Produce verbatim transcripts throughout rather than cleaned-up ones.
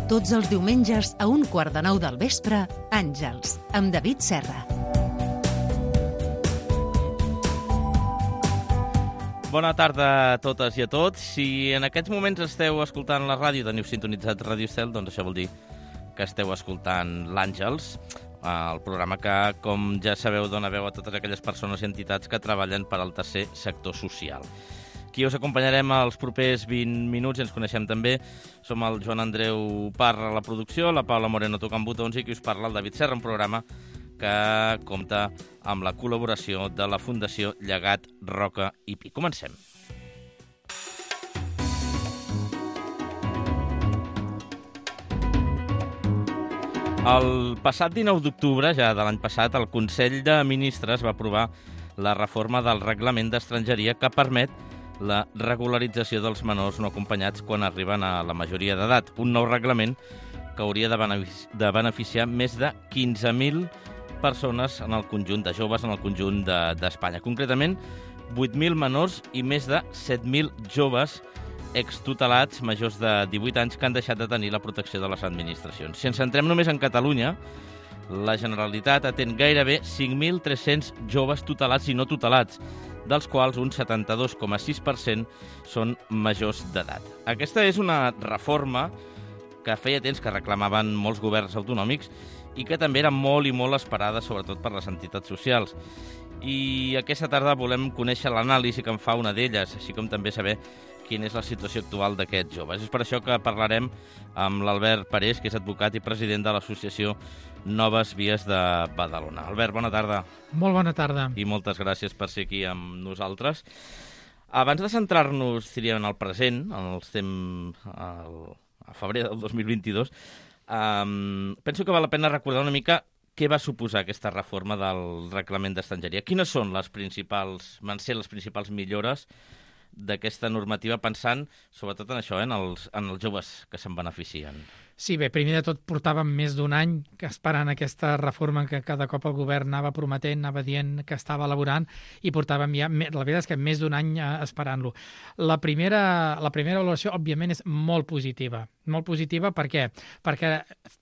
Tots els diumenges a un quart de nou del vespre, Àngels, amb David Serra. Bona tarda a totes i a tots. Si en aquests moments esteu escoltant la ràdio, teniu sintonitzat Ràdio Estel, doncs això vol dir que esteu escoltant l'Àngels, el programa que, com ja sabeu, dona veu a totes aquelles persones i entitats que treballen per al tercer sector social. Qui us acompanyarem als propers vint minuts, ens coneixem també, som el Joan Andreu Parra a la producció, la Paula Moreno tocant botons i qui us parla, el David Serra, un programa que compta amb la col·laboració de la Fundació Llegat Roca i Pi. Comencem. El passat dinou d'octubre, ja de l'any passat, el Consell de Ministres va aprovar la reforma del Reglament d'Estrangeria que permet la regularització dels menors no acompanyats quan arriben a la majoria d'edat. Un nou reglament que hauria de beneficiar més de quinze mil persones en el conjunt de joves en el conjunt d'Espanya. Concretament, vuit mil menors i més de set mil joves extutelats majors de divuit anys que han deixat de tenir la protecció de les administracions. Si ens centrem només en Catalunya, la Generalitat atén gairebé cinc mil tres-cents joves tutelats i no tutelats, dels quals un setanta-dos coma sis per cent són majors d'edat. Aquesta és una reforma que feia temps que reclamaven molts governs autonòmics i que també era molt i molt esperada, sobretot per les entitats socials. I aquesta tarda volem conèixer l'anàlisi que en fa una d'elles, així com també saber quina és la situació actual d'aquests joves. És per això que parlarem amb l'Albert Parés, que és advocat i president de l'associació Noves Vies de Badalona. Albert, bona tarda. Molt bona tarda. I moltes gràcies per ser aquí amb nosaltres. Abans de centrar-nos, diríem, en el present, en el temps a febrer del dos mil vint-i-dos, um, penso que val la pena recordar una mica què va suposar aquesta reforma del Reglament d'Estrangeria. Quines són les principals, van ser les principals millores d'aquesta normativa, pensant sobretot en això, eh, en, els, en els joves que se'n beneficien? Sí, bé, primer de tot portàvem més d'un any esperant aquesta reforma que cada cop el govern anava prometent, anava dient que estava elaborant, i portàvem ja, la veritat és que més d'un any esperant-lo. La primera, la primera valoració, òbviament, és molt positiva. Molt positiva per què? Perquè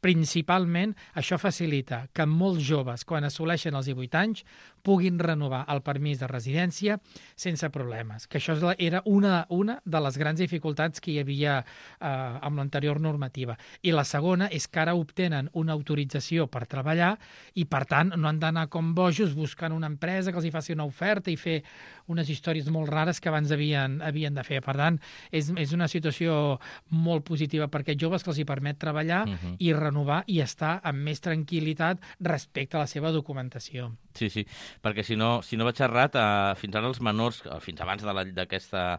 principalment això facilita que molts joves, quan assoleixen els divuit anys, puguin renovar el permís de residència sense problemes. Que això era una, una de les grans dificultats que hi havia eh, amb l'anterior normativa. I la segona és que ara obtenen una autorització per treballar i, per tant, no han d'anar com bojos buscant una empresa que els hi faci una oferta i fer unes històries molt rares que abans havien, havien de fer. Per tant, és, és una situació molt positiva per aquests joves que els hi permet treballar uh-huh. i renovar i estar amb més tranquil·litat respecte a la seva documentació. Sí, sí, perquè si no, si no vaig errat, eh, fins ara els menors, fins abans d'aquesta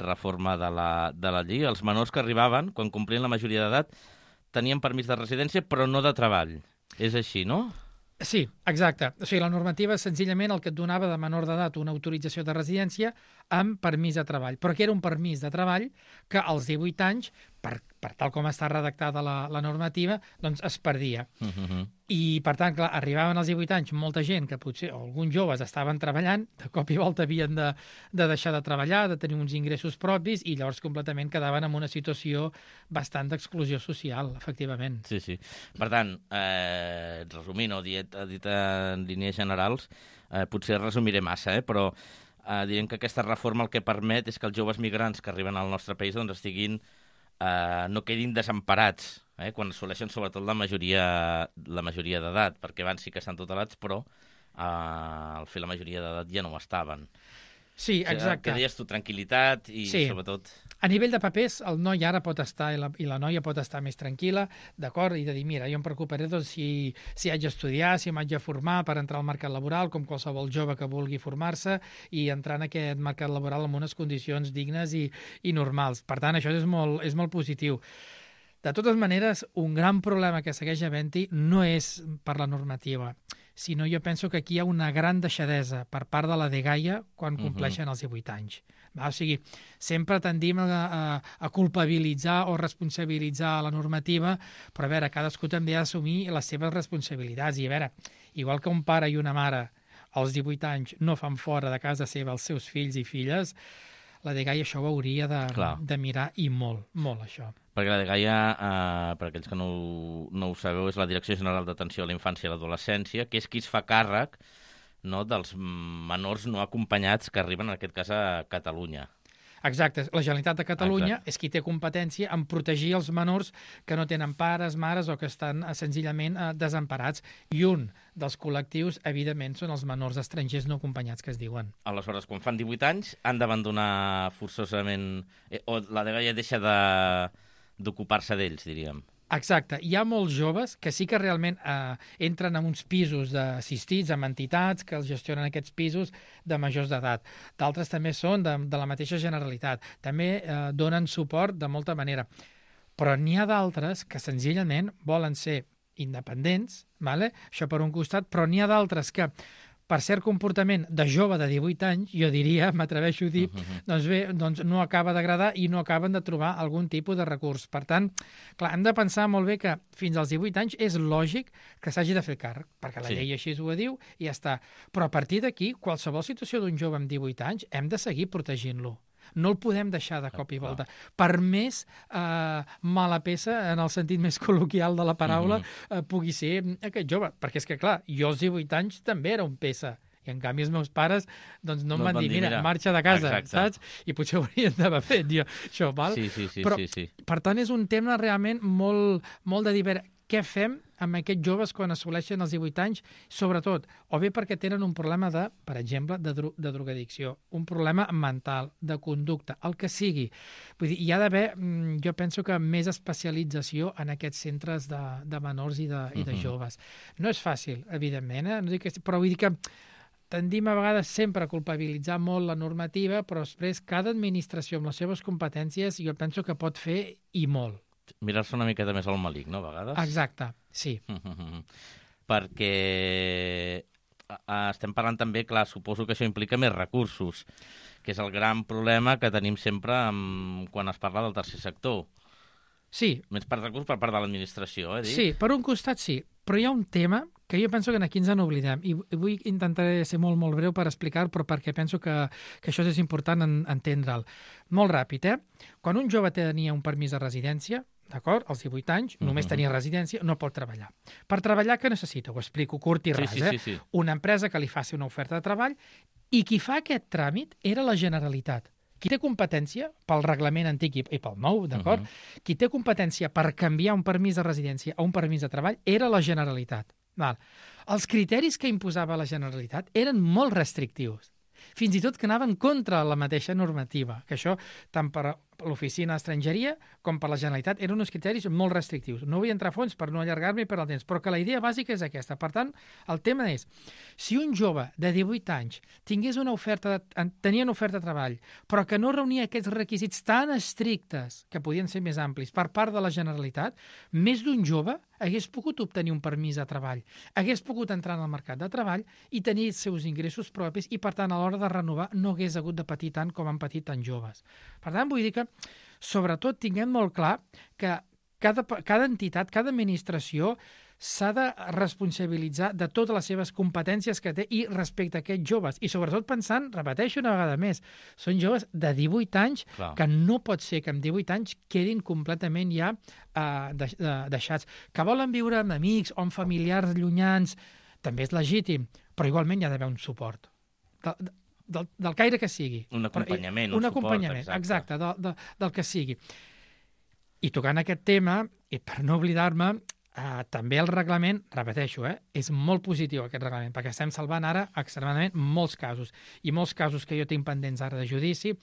reforma de la, de la llei, els menors que arribaven, quan complien la majoria d'edat, tenien permís de residència, però no de treball. És així, no? Sí, exacte. O sigui, la normativa senzillament el que et donava de menor d'edat una autorització de residència amb permís de treball, però que era un permís de treball que als divuit anys, per, per tal com està redactada la, la normativa, doncs es perdia. Uh-huh. I, per tant, clar, arribaven als divuit anys molta gent que potser, o alguns joves estaven treballant, de cop i volta havien de, de deixar de treballar, de tenir uns ingressos propis, i llavors completament quedaven en una situació bastant d'exclusió social, efectivament. Sí, sí. Per tant, eh, resumint o dit, dit en línies generals, eh, potser resumiré massa, eh, però eh, diem que aquesta reforma el que permet és que els joves migrants que arriben al nostre país doncs estiguin, eh, no quedin desemparats, eh, quan assoleixen sobretot la majoria, la majoria d'edat, perquè abans sí que estan tutelats, però eh, al fer la majoria d'edat ja no ho estaven. Sí, exacte. Que deies tu, tranquil·litat i sí. sobretot... A nivell de papers, el noi ara pot estar i la, i la noia pot estar més tranquil·la, d'acord, i de dir, mira, jo em preocuparé doncs, si, si haig d'estudiar, si m'haig de formar per entrar al mercat laboral, com qualsevol jove que vulgui formar-se i entrar en aquest mercat laboral amb unes condicions dignes i, i normals. Per tant, això és molt, és molt positiu. De totes maneres, un gran problema que segueix havent-hi no és per la normativa, sinó jo penso que aquí hi ha una gran deixadesa per part de la dgaia quan compleixen uh-huh. els divuit anys. O sigui, sempre tendim a, a, a culpabilitzar o responsabilitzar la normativa, però a veure, cadascú també ha d'assumir les seves responsabilitats. I a veure, igual que un pare i una mare als divuit anys no fan fora de casa seva els seus fills i filles, la dgaia això ho hauria de, Clar. de mirar i molt, molt això. Perquè la dgaia, eh, per aquells que no ho, no ho sabeu, és la Direcció General d'Atenció a la Infància i l'Adolescència, que és qui es fa càrrec, no, dels menors no acompanyats que arriben, en aquest cas, a Catalunya. Exacte. La Generalitat de Catalunya Exacte. és qui té competència en protegir els menors que no tenen pares, mares o que estan eh, senzillament eh, desemparats. I un dels col·lectius, evidentment, són els menors estrangers no acompanyats, que es diuen. Aleshores, quan fan divuit anys, han d'abandonar forçosament... Eh, o la dgaia deixa de d'ocupar-se d'ells, diríem. Exacte. Hi ha molts joves que sí que realment eh, entren en uns pisos assistits, amb entitats que els gestionen aquests pisos de majors d'edat. D'altres també són de, de la mateixa Generalitat. També eh, donen suport de molta manera. Però n'hi ha d'altres que senzillament volen ser independents, vale? Això per un costat, però n'hi ha d'altres que per cert comportament de jove de divuit anys, jo diria, m'atreveixo a dir, uh-huh. doncs bé, doncs no acaba d'agradar i no acaben de trobar algun tipus de recurs. Per tant, clar, hem de pensar molt bé que fins als divuit anys és lògic que s'hagi de fer càrrec, perquè la Sí. llei així ho diu i ja està. Però a partir d'aquí, qualsevol situació d'un jove amb divuit anys, hem de seguir protegint-lo. No el podem deixar de cop i volta. Per més eh, mala peça, en el sentit més col·loquial de la paraula, eh, pugui ser aquest jove. Perquè és que, clar, jo als divuit anys també era un peça. I, en canvi, els meus pares doncs, no, no em van dir, mira, mira, marxa de casa, exacte. Saps? I potser ho haurien d'haver fet, jo, això, val? Sí, sí, sí. Però, sí, sí. per tant, és un tema realment molt, molt de dir, què fem amb aquests joves quan assoleixen els divuit anys, sobretot, o bé perquè tenen un problema de, per exemple, de, dro de drogadicció, un problema mental, de conducta, el que sigui. Vull dir, hi ha d'haver, jo penso que més especialització en aquests centres de, de menors i de, i de joves. No és fàcil, evidentment, eh? No dic que, però vull dir que tendim a vegades sempre a culpabilitzar molt la normativa, però després cada administració amb les seves competències jo penso que pot fer i molt. Mirar-se una miqueta més al malic, no, a vegades? Exacte, sí. Perquè estem parlant també, clar, suposo que això implica més recursos, que és el gran problema que tenim sempre amb, quan es parla del tercer sector. Sí. Més per recursos per part de l'administració, eh? Dic? Sí, per un costat sí, però hi ha un tema que jo penso que aquí ens n'oblidem, i vull intentar ser molt, molt breu per explicar, però perquè penso que, que això és important en, entendre'l. Molt ràpid, eh? Quan un jove tenia un permís de residència, d'acord, als divuit anys, uh-huh. només tenia residència, no pot treballar. Per treballar, què necessita? Ho explico curt i ras, sí, sí, sí, sí. eh? Una empresa que li faci una oferta de treball i qui fa aquest tràmit era la Generalitat. Qui té competència, pel reglament antic i pel nou, d'acord? Uh-huh. Qui té competència per canviar un permís de residència a un permís de treball era la Generalitat. Val. Els criteris que imposava la Generalitat eren molt restrictius, fins i tot que anaven contra la mateixa normativa, que això, tant per l'Oficina d'Estrangeria com per la Generalitat, eren uns criteris molt restrictius. No vull entrar a fons per no allargar-me per al temps, però que la idea bàsica és aquesta. Per tant, el tema és, si un jove de divuit anys tingués una oferta, de, tenia una oferta de treball, però que no reunia aquests requisits tan estrictes, que podien ser més amplis, per part de la Generalitat, més d'un jove hagués pogut obtenir un permís de treball, hagués pogut entrar en el mercat de treball i tenir els seus ingressos propis i, per tant, a l'hora de renovar no hagués hagut de patir tant com han patit tants joves. Per tant, vull dir que, sobretot, tinguem molt clar que cada, cada entitat, cada administració s'ha de responsabilitzar de totes les seves competències que té i respecte a aquests joves. I sobretot pensant, repeteixo una vegada més, són joves de divuit anys, clar, que no pot ser que amb divuit anys quedin completament ja eh, de, de, deixats. Que volen viure amb amics o amb familiars llunyans, també és legítim, però igualment hi ha d'haver un suport. De, de, del, del caire que sigui. Un acompanyament, però, un, un acompanyament, suport, exacte. exacte, de, de, del que sigui. I tocant aquest tema, i per no oblidar-me, eh, també el reglament, repeteixo, eh, és molt positiu aquest reglament, perquè estem salvant ara extremadament molts casos. I molts casos que jo tinc pendents ara de judici,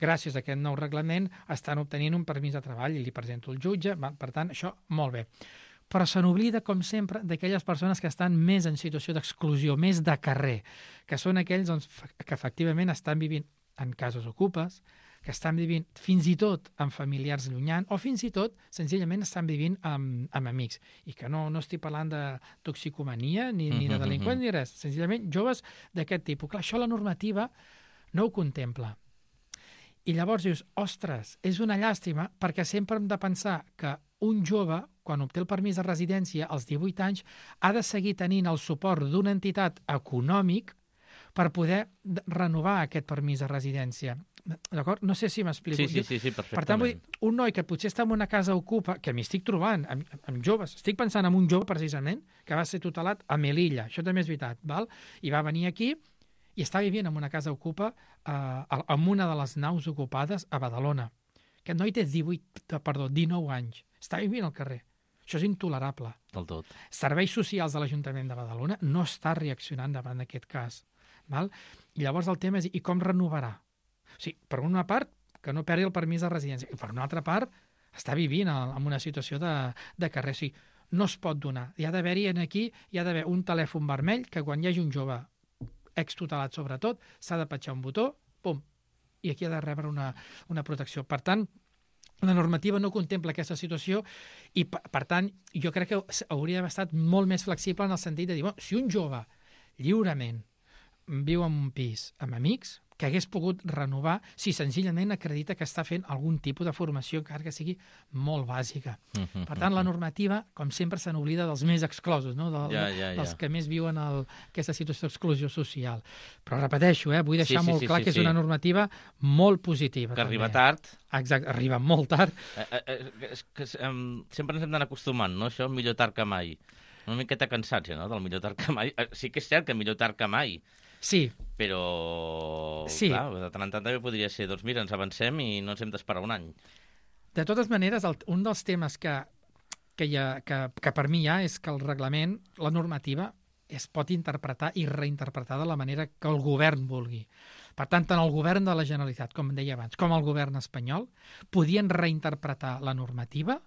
gràcies a aquest nou reglament, estan obtenint un permís de treball i li presento el jutge, per tant, això molt bé. Però se n'oblida, com sempre, d'aquelles persones que estan més en situació d'exclusió, més de carrer, que són aquells doncs, que efectivament estan vivint en cases ocupes, que estan vivint fins i tot amb familiars llunyans, o fins i tot, senzillament, estan vivint amb, amb amics. I que no, no estic parlant de toxicomania, ni, ni de delinqüents, ni res. Senzillament, joves d'aquest tipus. Clar, això la normativa no ho contempla. I llavors dius, ostres, és una llàstima, perquè sempre hem de pensar que un jove, quan obté el permís de residència als divuit anys, ha de seguir tenint el suport d'una entitat econòmic per poder renovar aquest permís de residència. D'acord? No sé si m'explico. Sí, sí, sí, sí, perfectament. Per tant, vull dir, un noi que potser està en una casa ocupa, que m'hi estic trobant, amb, amb joves, estic pensant en un jove, precisament, que va ser tutelat a Melilla, això també és veritat, val? I va venir aquí i està vivint en una casa ocupa, eh, en una de les naus ocupades a Badalona. Aquest noi té divuit, perdó, dinou anys. Està vivint al carrer. Això és intolerable. Del tot. Serveis socials de l'Ajuntament de Badalona no està reaccionant davant d'aquest cas. Val? I llavors el tema és, i com renovarà? O sigui, per una part, que no perdi el permís de residència. I per una altra part, està vivint en una situació de, de carrer. O sigui, no es pot donar. Hi ha d'haver-hi aquí, hi ha d'haver un telèfon vermell que quan hi hagi un jove extutelat sobretot, s'ha de petjar un botó, pum, i aquí ha de rebre una, una protecció. Per tant, la normativa no contempla aquesta situació i, per, per tant, jo crec que hauria d'haver estat molt més flexible en el sentit de dir, bueno, si un jove lliurement viu en un pis amb amics, que hagués pogut renovar si senzillament acredita que està fent algun tipus de formació, encara que sigui molt bàsica. Uh-huh, per tant, la normativa, com sempre, se n'oblida dels més exclosos, no? de, ja, ja, ja. dels que més viuen el, aquesta situació d'exclusió social. Però repeteixo, eh, vull deixar sí, sí, molt sí, clar sí, que és sí. una normativa molt positiva. Que també. arriba tard. Exacte, arriba molt tard. Eh, eh, eh, que, um, sempre ens hem d'anar acostumant, no? Això, millor tard que mai. Una miqueta cansats, ja, no?, del millor tard que mai. Eh, sí que és cert que millor tard que mai. Sí. Però, sí. clar, de tant en tant també podria ser, doncs mira, ens avancem i no ens hem d'esperar un any. De totes maneres, el, un dels temes que, que, hi ha, que, que per mi hi ha és que el reglament, la normativa, es pot interpretar i reinterpretar de la manera que el govern vulgui. Per tant, tant el govern de la Generalitat, com deia abans, com el govern espanyol, podien reinterpretar la normativa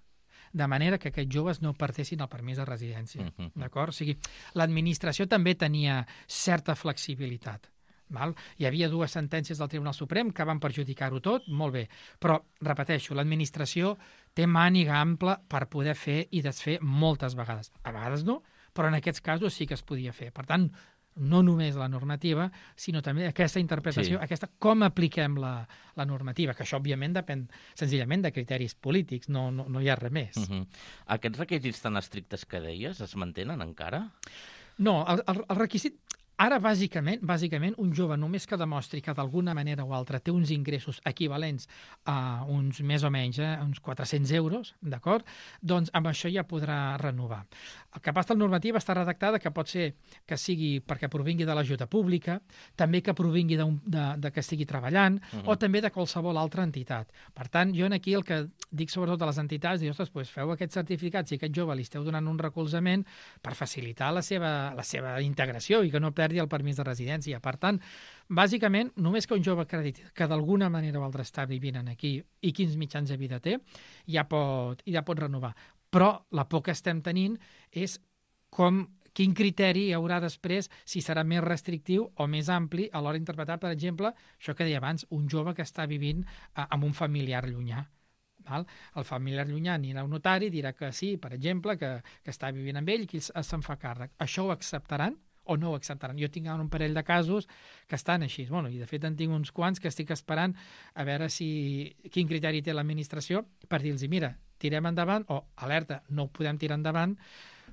de manera que aquests joves no perdessin el permís de residència. Uh-huh. D'acord? O sigui, l'administració també tenia certa flexibilitat. Val? Hi havia dues sentències del Tribunal Suprem que van perjudicar-ho tot, molt bé. Però, repeteixo, l'administració té màniga ampla per poder fer i desfer moltes vegades. A vegades no, però en aquests casos sí que es podia fer. Per tant, no només la normativa, sinó també aquesta interpretació, sí. aquesta com apliquem la, la normativa, que això, òbviament, depèn senzillament de criteris polítics, no, no, no hi ha res més. Uh-huh. Aquests requisits tan estrictes que deies es mantenen encara? No, el, el, el requisit... Ara, bàsicament, bàsicament, un jove només que demostri que d'alguna manera o altra té uns ingressos equivalents a uns més o menys, eh, uns quatre-cents euros, d'acord? Doncs amb això ja podrà renovar. El que passa, la normativa està redactada que pot ser que sigui perquè provingui de l'ajuda pública, també que provingui de, de, de que estigui treballant, uh-huh. o també de qualsevol altra entitat. Per tant, jo aquí el que dic sobretot a les entitats, dic, ostres, doncs feu aquests certificats i aquest jove li esteu donant un recolzament per facilitar la seva, la seva integració i que no perdi el permís de residència. Per tant, bàsicament, només que un jove acrediti que d'alguna manera o altra està vivint aquí i quins mitjans de vida té, ja pot, ja pot renovar. Però la por que estem tenint és com, quin criteri hi haurà després, si serà més restrictiu o més ampli a l'hora d'interpretar, per exemple, això que deia abans, un jove que està vivint eh, amb un familiar llunyà. Val? El familiar llunyà anirà a un notari, dirà que sí, per exemple, que, que està vivint amb ell i que se'n fa càrrec. Això ho acceptaran o no ho acceptaran? Jo tinc un parell de casos que estan així. Bueno, i de fet en tinc uns quants que estic esperant a veure si quin criteri té l'administració per dir-los, mira, tirem endavant o alerta, no ho podem tirar endavant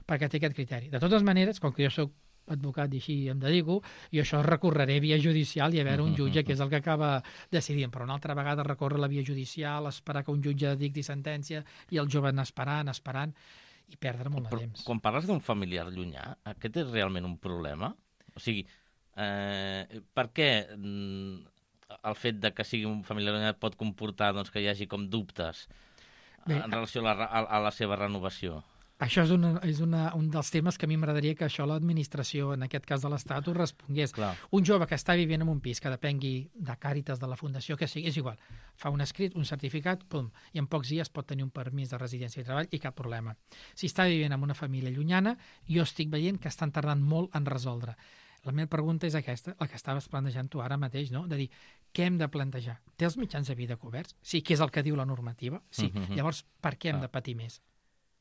perquè té aquest criteri. De totes maneres, com que jo soc advocat i així em dedico, i això recorreré via judicial i a veure un jutge que és el que acaba decidint, però una altra vegada recórrer la via judicial, esperar que un jutge dicti sentència i el jove anar esperant, esperant i perdre molt de temps. Quan parles d'un familiar llunyà, aquest és realment un problema? O sigui, eh, per què el fet de que sigui un familiar llunyà pot comportar doncs, que hi hagi com dubtes Bé, en relació a la, a, a la seva renovació? Això és, una, és una, un dels temes que a mi m'agradaria que això l'administració, en aquest cas de l'Estat, ho respongués. Clar. Un jove que està vivint en un pis que depengui de Càritas, de la Fundació, que sigui, és igual. Fa un escrit, un certificat, pum, i en pocs dies pot tenir un permís de residència i treball i cap problema. Si està vivint amb una família llunyana, jo estic veient que estan tardant molt en resoldre. La meva pregunta és aquesta, la que estaves plantejant tu ara mateix, no? De dir, què hem de plantejar? Té els mitjans de vida coberts? Sí, que és el que diu la normativa? Sí. Uh-huh. Llavors, per què hem de patir més?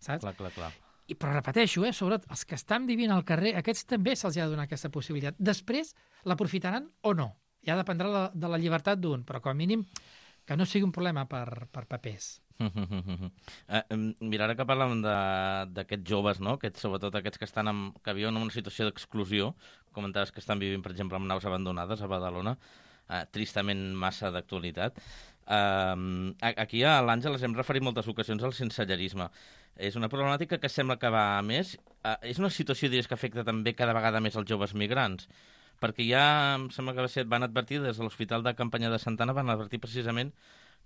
Saps? Clar, clar, clar. I, però repeteixo, eh, sobretot els que estan vivint al carrer, aquests també se'ls ha de donar aquesta possibilitat. Després, l'aprofitaran o no? Ja dependrà la, de la llibertat d'un, però com a mínim que no sigui un problema per, per papers. eh, mira, ara que parlàvem d'aquests joves, no? Aquests, sobretot aquests que estan en, que viuen en una situació d'exclusió, comentaves que estan vivint, per exemple, en naus abandonades a Badalona, eh, tristament massa d'actualitat. Uh, aquí a l'Àngel hem referit moltes ocasions al sensellerisme. És una problemàtica que sembla que va a més. Uh, és una situació, diries, que afecta també cada vegada més els joves migrants, perquè ja em sembla que va ser, van advertir des de l'Hospital de Campanya de Santa Anna, van advertir precisament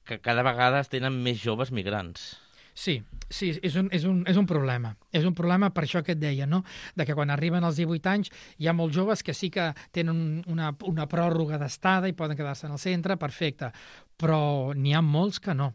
que cada vegada es tenen més joves migrants. Sí, sí, és un, és, un, és un problema. És un problema per això que et deia, no? De que quan arriben als divuit anys hi ha molts joves que sí que tenen una, una pròrroga d'estada i poden quedar-se en el centre, perfecte, però n'hi ha molts que no,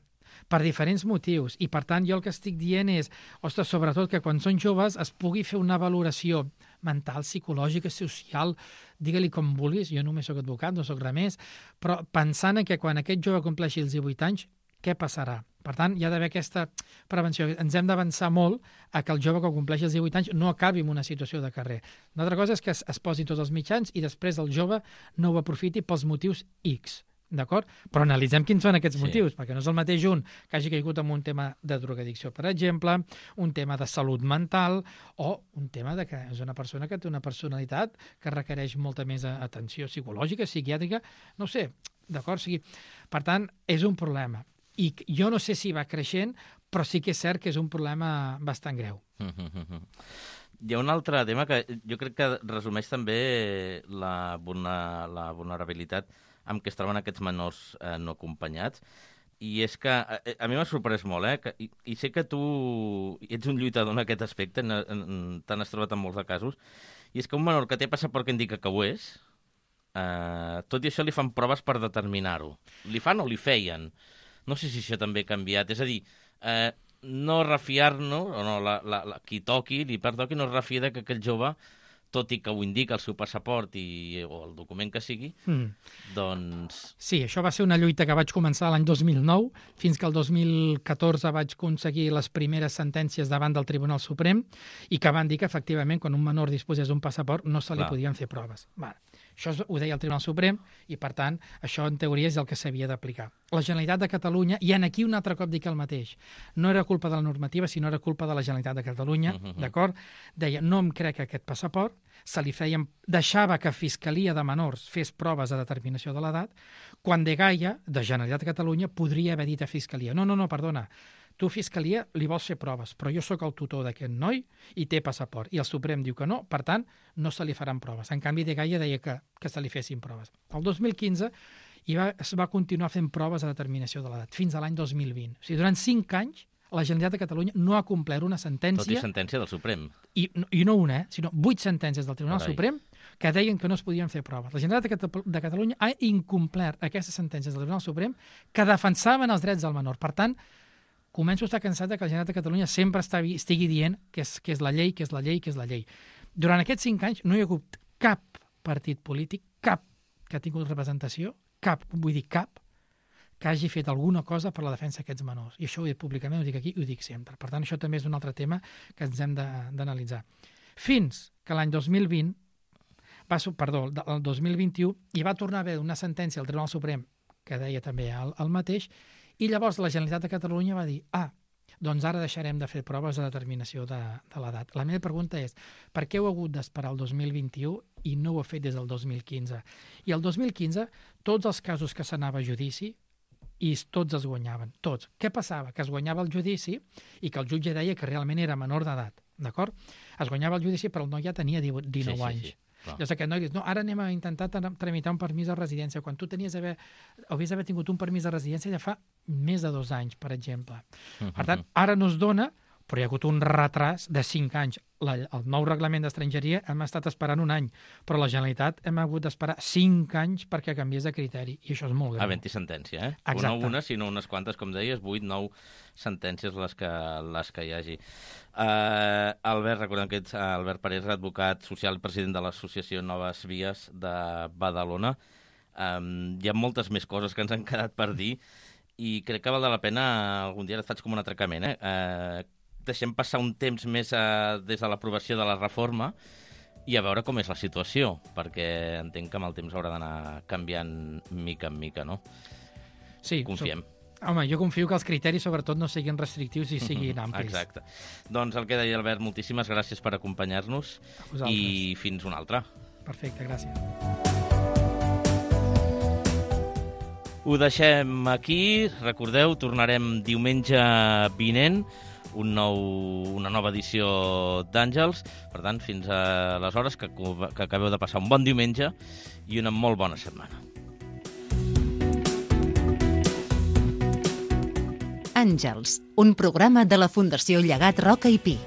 per diferents motius. I, per tant, jo el que estic dient és, ostres, sobretot que quan són joves es pugui fer una valoració mental, psicològica, social, digue-li com vulguis, jo només soc advocat, no soc res més, però pensant que quan aquest jove compleixi els divuit anys, què passarà? Per tant, hi ha d'haver aquesta prevenció. Ens hem d'avançar molt a que el jove que compleixi els divuit anys no acabi en una situació de carrer. Una altra cosa és que es, es posin tots els mitjans i després el jove no ho aprofiti pels motius X. D'acord? Però analitzem quins són aquests Sí. motius, perquè no és el mateix un que hagi caigut en un tema de drogadicció, per exemple, un tema de salut mental o un tema de que és una persona que té una personalitat que requereix molta més atenció psicològica, psiquiàtrica, no ho sé, d'acord? O sigui, per tant, és un problema. I jo no sé si va creixent, però sí que és cert que és un problema bastant greu. Hi ha un altre tema que jo crec que resumeix també la, vulna, la vulnerabilitat amb què es troben aquests menors eh, no acompanyats, i és que a, a mi m'ha sorprès molt, eh? Que, i, i sé que tu ets un lluitador en aquest aspecte, en, en, te n'has trobat en molts de casos, i és que un menor que té passaport que indica que ho és, eh, tot i això li fan proves per determinar-ho. Li fan o li feien? No sé si això també ha canviat. És a dir, eh, no refiar-nos, o no, la, la, la, qui toqui, li pertoqui, no es refia de que aquell jove, tot i que ho indica el seu passaport i, o el document que sigui, mm. doncs... Sí, això va ser una lluita que vaig començar l'any dos mil nou, fins que el dos mil catorze vaig aconseguir les primeres sentències davant del Tribunal Suprem i que van dir que, efectivament, quan un menor disposés d'un passaport no se li Clar. podien fer proves. Vale. Això ho deia el Tribunal Suprem i, per tant, això en teoria és el que s'havia d'aplicar. La Generalitat de Catalunya, i en aquí un altre cop dic el mateix, no era culpa de la normativa, sinó era culpa de la Generalitat de Catalunya, uh -huh. d'acord? Deia, no em crec aquest passaport, se li feien, deixava que Fiscalia de Menors fes proves de determinació de l'edat, quan de Gaia, de Generalitat de Catalunya, podria haver dit a Fiscalia, no, no, no, perdona, tu, Fiscalia, li vols fer proves, però jo sóc el tutor d'aquest noi i té passaport. I el Suprem diu que no, per tant, no se li faran proves. En canvi, de Gaia deia que, que se li fessin proves. El dos mil quinze i va, es va continuar fent proves de determinació de l'edat, fins a l'any dos mil vint. O sigui, durant cinc anys, la Generalitat de Catalunya no ha complert una sentència... Tot i sentència del Suprem. I, i no una, eh, sinó vuit sentències del Tribunal Carai. Suprem que deien que no es podien fer proves. La Generalitat de, Cata de Catalunya ha incomplert aquestes sentències del Tribunal Suprem que defensaven els drets del menor. Per tant, començo a estar cansat de que la Generalitat de Catalunya sempre està, estigui dient que és, que és la llei, que és la llei, que és la llei. Durant aquests cinc anys no hi ha hagut cap partit polític, cap que ha tingut representació, cap, vull dir cap, que hagi fet alguna cosa per la defensa d'aquests menors. I això ho he dit públicament, ho dic aquí i ho dic sempre. Per tant, això també és un altre tema que ens hem d'analitzar. Fins que l'any dos mil vint, va, perdó, el dos mil vint-i-u, hi va tornar a haver una sentència al Tribunal Suprem que deia també el, el mateix, i llavors la Generalitat de Catalunya va dir, ah, doncs ara deixarem de fer proves de determinació de, de l'edat. La meva pregunta és, per què heu hagut d'esperar el dos mil vint-i-u i no ho heu fet des del dos mil quinze? I el dos mil quinze, tots els casos que s'anava a judici, i tots es guanyaven, tots. Què passava? Que es guanyava el judici i que el jutge deia que realment era menor d'edat, d'acord? Es guanyava el judici, però el noi ja tenia dinou sí, sí, anys. Sí. Llavors aquest noi dius, no, ara anem a intentar tramitar un permís de residència, quan tu tenies haver, hauries d'haver tingut un permís de residència ja fa més de dos anys, per exemple. Uh-huh. Per tant, ara no es dona, però hi ha hagut un retras de cinc anys. La, el nou reglament d'estrangeria hem estat esperant un any, però la Generalitat hem hagut d'esperar cinc anys perquè canviés de criteri, i això és molt greu. Havent-hi sentència, eh? Exacte. No una, sinó unes quantes, com deies, vuit, nou sentències les que, les que hi hagi. Uh, Albert, recordem que ets Albert Parés, advocat social i president de l'associació Noves Vies de Badalona. Um, hi ha moltes més coses que ens han quedat per dir i crec que val la pena, algun dia et faig com un atracament, eh? Uh, deixem passar un temps més uh, des de l'aprovació de la reforma i a veure com és la situació, perquè entenc que amb el temps haurà d'anar canviant mica en mica, no? Sí. Confiem. So... Home, jo confio que els criteris, sobretot, no siguin restrictius i siguin amplis. Exacte. Doncs el que deia Albert, moltíssimes gràcies per acompanyar-nos i fins una altra. Perfecte, gràcies. Ho deixem aquí. Recordeu, tornarem diumenge vinent, un nou, una nova edició d'Àngels. Per tant, fins aleshores, que, que acabeu de passar un bon diumenge i una molt bona setmana. Àngels, un programa de la Fundació Llegat Roca i Pi.